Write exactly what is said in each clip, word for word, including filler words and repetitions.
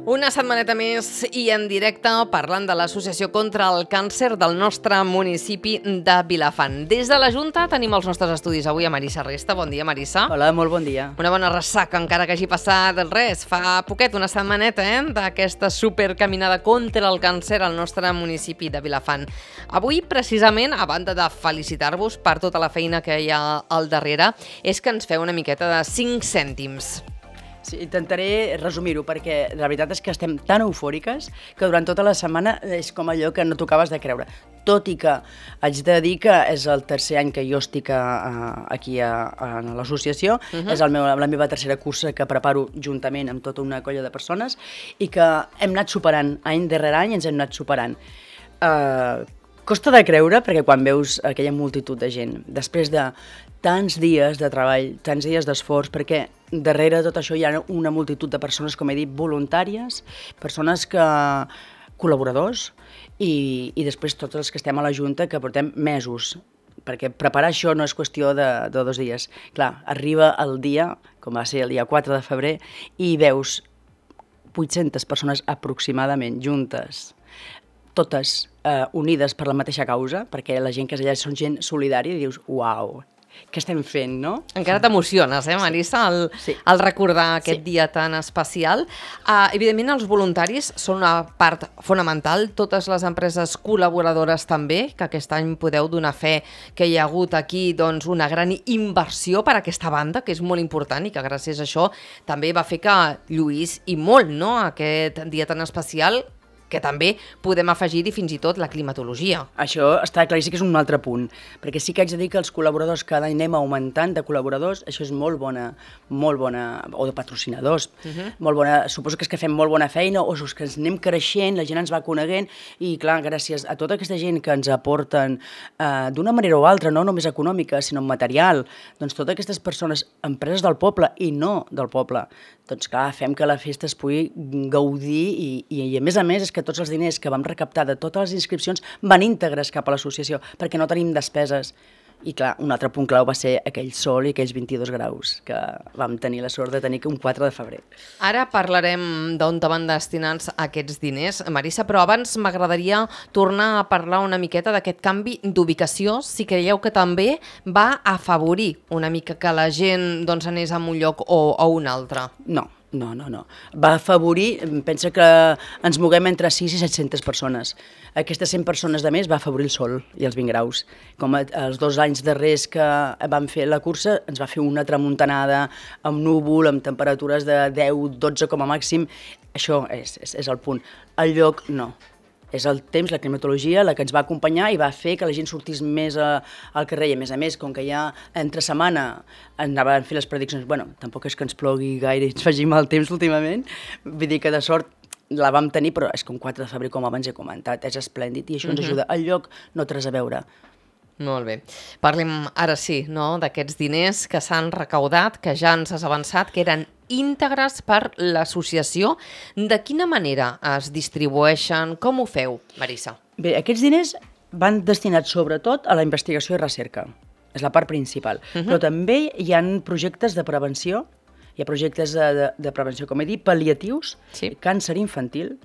Una setmaneta més i en directe parlant de l'Associació contra el Càncer del nostre municipi de Vilafant. Des de la Junta tenim els nostres estudis avui a Marissa Resta. Bon dia, Marissa. Hola, molt bon dia. Una bona ressaca, encara que hagi passat res. Fa poquet, una setmaneta, eh, d'aquesta supercaminada contra el càncer al nostre municipi de Vilafant. Avui, precisament, a banda de felicitar-vos per tota la feina que hi ha al darrere, és que ens feu una miqueta de cinc cèntims. Sí, intentaré resumir-ho perquè la veritat és que estem tan eufòriques que durant tota la setmana és com allò que no tocaves de creure. Tot i que haig de dir que és el tercer any que jo estic a, a, aquí a, a l'associació, uh -huh. és el meu, la meva tercera cursa que preparo juntament amb tota una colla de persones i que hem anat superant, any darrere any ens hem anat superant. Uh, costa de creure perquè quan veus aquella multitud de gent, després de tants dies de treball, tants dies d'esforç, perquè darrere de tot això hi ha una multitud de persones, com he dit, voluntàries, persones que col·laboradors i, i després tots els que estem a la Junta que portem mesos, perquè preparar això no és qüestió de, de dos dies. Clar, arriba el dia, com va ser el dia quatre de febrer, i veus vuit-centes persones aproximadament juntes, totes eh, unides per la mateixa causa, perquè la gent que és allà són gent solidària i dius, uau, què estem fent, no? Encara t'emociones, eh, Marissa, al, sí. al recordar aquest sí. dia tan especial. Uh, evidentment, els voluntaris són una part fonamental, totes les empreses col·laboradores també, que aquest any podeu donar fe que hi ha hagut aquí doncs, una gran inversió per a aquesta banda, que és molt important i que gràcies a això també va fer que lluís i molt, no?, aquest dia tan especial, que també podem afegir-hi fins i tot la climatologia. Això està claríssim que és un altre punt, perquè sí que haig de dir que els col·laboradors cada any anem augmentant de col·laboradors, això és molt bona, molt bona, o de patrocinadors, uh -huh. molt bona, suposo que és que fem molt bona feina, o és que ens anem creixent, la gent ens va coneguent, i clar, gràcies a tota aquesta gent que ens aporten eh, d'una manera o altra, no només econòmica, sinó material, doncs totes aquestes persones, empreses del poble i no del poble, doncs clar, fem que la festa es pugui gaudir i, i, i a més a més és que tots els diners que vam recaptar de totes les inscripcions van íntegres cap a l'associació, perquè no tenim despeses. I clar, un altre punt clau va ser aquell sol i aquells vint-i-dos graus que vam tenir la sort de tenir un quatre de febrer. Ara parlarem d'on van destinats aquests diners, Marissa, però abans m'agradaria tornar a parlar una miqueta d'aquest canvi d'ubicació, si creieu que també va afavorir una mica que la gent doncs, anés a un lloc o a un altre. No. No, no, no. Va afavorir, pensa que ens moguem entre sis i set-centes persones. Aquestes cent persones de més va afavorir el sol i els vint graus. Com els dos anys darrers que vam fer la cursa, ens va fer una tramuntanada amb núvol, amb temperatures de deu dotze com a màxim. Això és, és, és el punt. El lloc, no. És el temps, la climatologia, la que ens va acompanyar i va fer que la gent sortís més a, al carrer. I a més a més, com que ja entre setmana anaven a fer les prediccions, bueno, tampoc és que ens plogui gaire i ens faci mal temps últimament, vull dir que de sort la vam tenir, però és com quatre de febrer, com abans he comentat, és esplèndid i això ens ajuda. El lloc no té res a veure. Molt bé. Parlem ara sí, no?, d'aquests diners que s'han recaudat, que ja ens has avançat, que eren íntegres per l'associació. De quina manera es distribueixen? Com ho feu, Marissa? Bé, aquests diners van destinats sobretot a la investigació i recerca. És la part principal. Uh -huh. Però també hi ha projectes de prevenció, hi ha projectes de, de, de prevenció, com he dit, pal·liatius, sí. Càncer infantil,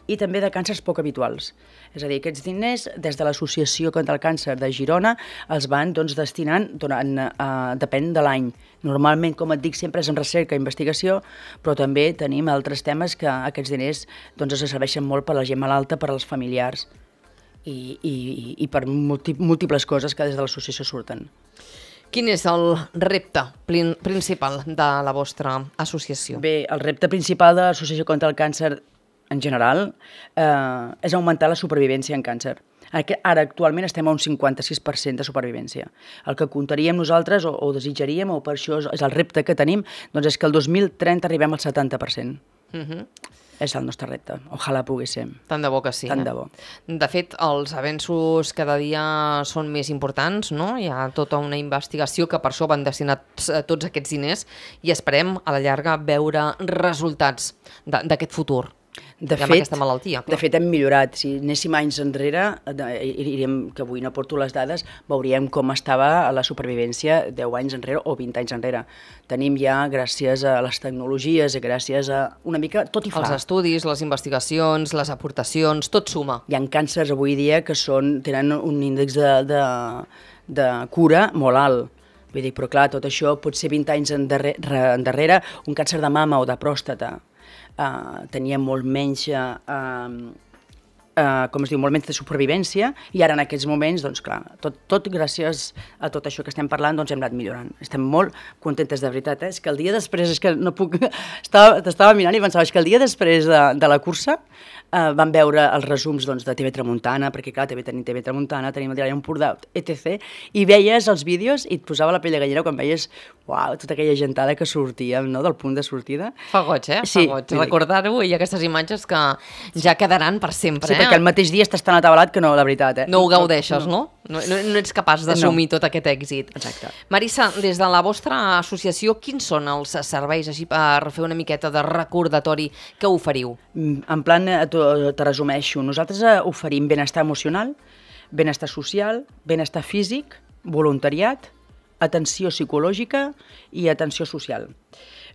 i també de càncers poc habituals. És a dir, aquests diners, des de l'Associació contra el Càncer de Girona, els van doncs, destinant, durant, uh, depèn de l'any. Normalment, com et dic, sempre és en recerca i investigació, però també tenim altres temes que aquests diners doncs, es serveixen molt per a la gent malalta, per als familiars i, i, i per múltiples coses que des de l'associació surten. Quin és el repte principal de la vostra associació? Bé, el repte principal de l'Associació contra el Càncer en general, eh, és augmentar la supervivència en càncer. Ara, actualment, estem a un cinquanta-sis per cent de supervivència. El que comptaríem nosaltres, o, o desitjaríem, o per això és, és el repte que tenim, doncs és que el dos mil trenta arribem al setanta per cent. Uh -huh. És el nostre repte. Ojalà pogués ser. Tant de bo que sí. Tant eh? de bo. De fet, els avenços cada dia són més importants, no? Hi ha tota una investigació que per això van destinats tots aquests diners i esperem, a la llarga, veure resultats d'aquest futur. De amb fet, aquesta malaltia. Clar. De fet, hem millorat. Si anéssim anys enrere, iríem, que avui no porto les dades, veuríem com estava la supervivència deu anys enrere o vint anys enrere. Tenim ja, gràcies a les tecnologies i gràcies a una mica tot i fa. Els estudis, les investigacions, les aportacions, tot suma. Hi ha càncers avui dia que són, tenen un índex de, de, de cura molt alt. Vull dir, però clar, tot això pot ser vint anys endarrere, endarrere un càncer de mama o de pròstata. Uh, tenia molt menys, uh, uh, com es diu, molt menys de supervivència, i ara en aquests moments, doncs clar, tot, tot gràcies a tot això que estem parlant, doncs hem anat millorant. Estem molt contentes, de veritat, eh? És que el dia després, és que no puc, t'estava mirant i pensava, és que el dia després de, de la cursa uh, vam veure els resums doncs, de T V Tramuntana, perquè clar, també tenim T V Tramuntana, tenim el Diari Empordà, etcètera, i veies els vídeos i et posava la pell de gallina quan veies, uau, tota aquella gentada que sortia, no?, del punt de sortida. Fa goig, eh? Sí, Fa goig. Recordar-ho i aquestes imatges que ja quedaran per sempre, sí, eh? perquè el mateix dia estàs tan atabalat que no, la veritat, eh? No ho gaudeixes, no? No, no, no ets capaç d'assumir no. tot aquest èxit. Exacte. Marissa, des de la vostra associació, quins són els serveis, així per fer una miqueta de recordatori, que oferiu? En plan, te resumeixo, nosaltres oferim benestar emocional, benestar social, benestar físic, voluntariat, atenció psicològica i atenció social.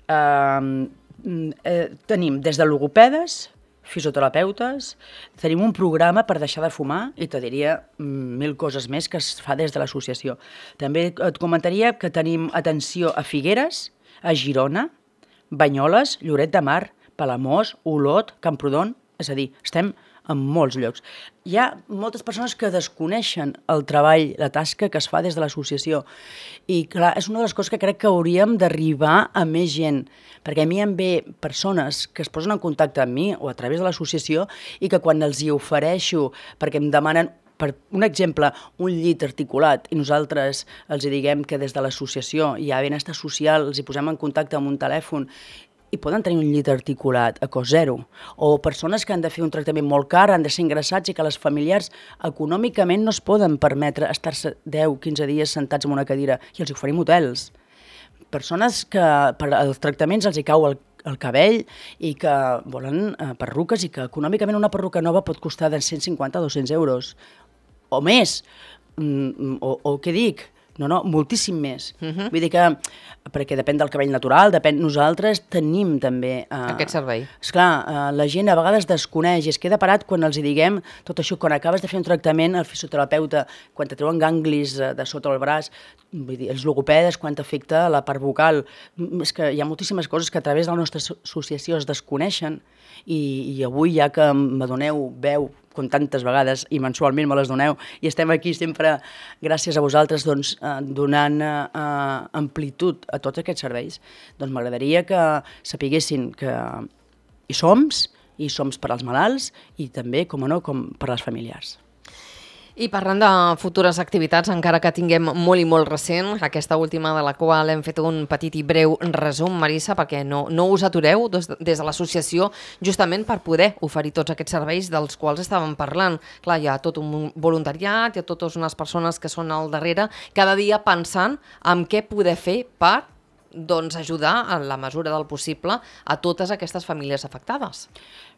Uh, eh, tenim des de logopedes, fisioterapeutes, tenim un programa per deixar de fumar i te diria mil coses més que es fa des de l'associació. També et comentaria que tenim atenció a Figueres, a Girona, Banyoles, Lloret de Mar, Palamós, Olot, Camprodon, és a dir, estem en molts llocs. Hi ha moltes persones que desconeixen el treball, la tasca que es fa des de l'associació. I clar, és una de les coses que crec que hauríem d'arribar a més gent, perquè a mi em ve persones que es posen en contacte amb mi o a través de l'associació i que quan els hi ofereixo, perquè em demanen, per un exemple, un llit articulat i nosaltres els hi diguem que des de l'associació hi ha benestar social, els hi posem en contacte amb un telèfon i poden tenir un llit articulat a cost zero. O persones que han de fer un tractament molt car, han de ser ingressats i que les familiars econòmicament no es poden permetre estar-se deu a quinze dies sentats en una cadira i els oferim hotels. Persones que per als tractaments els hi cau el, el cabell i que volen eh, perruques i que econòmicament una perruca nova pot costar de cent cinquanta a dos-cents euros o més. Mm, o, o què dic? No, no, moltíssim més. Uh-huh. Vull dir que, perquè depèn del cabell natural, depèn, nosaltres tenim també... Eh, aquest servei. Esclar, eh, la gent a vegades desconeix i es queda parat quan els hi diguem tot això, quan acabes de fer un tractament, el fisioterapeuta, quan te treuen ganglis de, de sota el braç, vull dir, els logopedes, quan t'afecta la part vocal, és que hi ha moltíssimes coses que a través de la nostra associació es desconeixen i, i avui, ja que m'adoneu, veu, com tantes vegades, i mensualment me les doneu, i estem aquí sempre, gràcies a vosaltres, doncs, eh, donant eh, amplitud a tots aquests serveis, doncs m'agradaria que sapiguessin que hi som, i som per als malalts, i també, com no, com per als familiars. I parlant de futures activitats, encara que tinguem molt i molt recent, aquesta última de la qual hem fet un petit i breu resum, Marissa, perquè no, no us atureu des, des de l'associació justament per poder oferir tots aquests serveis dels quals estàvem parlant. Clar, hi ha tot un voluntariat, hi ha totes unes persones que són al darrere, cada dia pensant en què poder fer per doncs, ajudar, en la mesura del possible, a totes aquestes famílies afectades.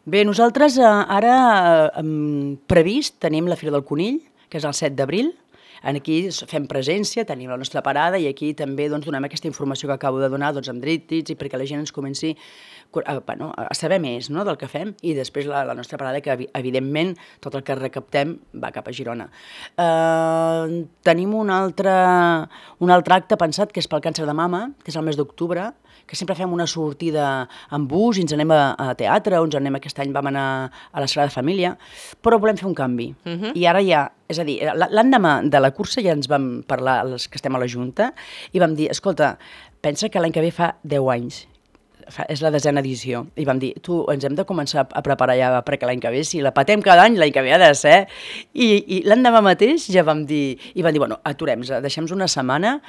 Bé, nosaltres eh, ara eh, previst tenim la Fira del Conill, que és el set d'abril. Aquí fem presència, tenim la nostra parada i aquí també doncs, donem aquesta informació que acabo de donar doncs, amb dríptics i perquè la gent ens comenci a, bueno, a saber més, no?, del que fem, i després la, la nostra parada, que evidentment tot el que recaptem va cap a Girona. Eh, tenim un altre, un altre acte pensat que és pel càncer de mama, que és el mes d'octubre, que sempre fem una sortida en bus i ens anem a, a teatre, o ens anem, aquest any vam anar a la Sagrada Família, però volem fer un canvi. Uh-huh. I ara ja, és a dir, l'endemà de la cursa ja ens vam parlar, els que estem a la Junta, i vam dir, escolta, pensa que l'any que ve fa deu anys, fa, és la desena edició, i vam dir, tu, ens hem de començar a preparar ja perquè l'any que ve, si la patem cada any, l'any que ve ha de ser, i, i l'endemà mateix ja vam dir, i vam dir, bueno, aturem-nos, deixem-nos una setmana,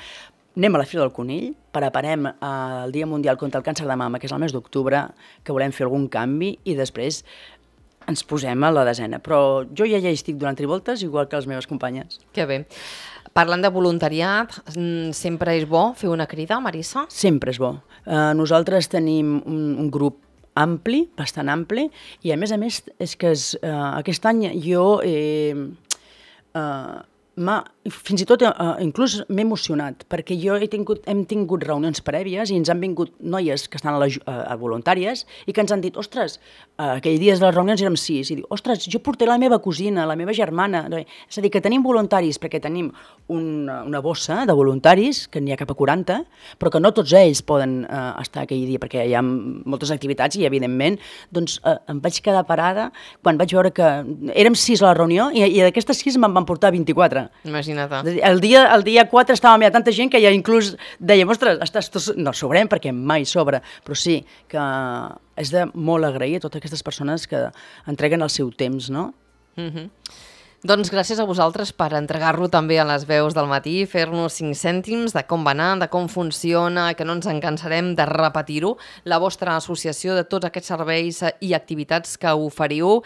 anem a la Fira del Conill, preparem el Dia Mundial contra el Càncer de Mama, que és el mes d'octubre, que volem fer algun canvi, i després ens posem a la desena. Però jo ja ja hi estic donant trivoltes, igual que les meves companyes. Que bé. Parlant de voluntariat, sempre és bo fer una crida, Marissa? Sempre és bo. Uh, nosaltres tenim un, un grup ampli, bastant ampli, i a més a més és que és, uh, aquest any jo eh, uh, m'ha, fins i tot uh, inclús m'he emocionat, perquè jo he tingut, hem tingut reunions prèvies i ens han vingut noies que estan a, la, a voluntàries i que ens han dit, ostres, uh, aquell dia de les reunions érem sis, i diu, ostres, jo porté la meva cosina, la meva germana, és a dir, que tenim voluntaris, perquè tenim una, una bossa de voluntaris, que n'hi ha cap a quaranta, però que no tots ells poden uh, estar aquell dia, perquè hi ha moltes activitats i, evidentment, doncs uh, em vaig quedar parada quan vaig veure que érem sis a la reunió i, i d'aquestes sis me'n van portar vint-i-quatre. Imagina't. El dia, el dia quatre estàvem ja tanta gent que ja inclús dèiem, ostres, estàs, no sobrem perquè mai sobra, però sí que és de molt agrair a totes aquestes persones que entreguen el seu temps, no? Mhm. Doncs gràcies a vosaltres per entregar-lo també a les veus del matí, fer-nos cinc cèntims de com va anar, de com funciona, que no ens en cansarem de repetir-ho, la vostra associació de tots aquests serveis i activitats que oferiu,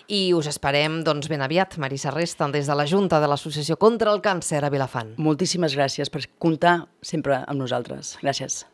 i us esperem doncs, ben aviat, Marisa Resta, des de la Junta de l'Associació contra el Càncer a Vilafant. Moltíssimes gràcies per comptar sempre amb nosaltres. Gràcies.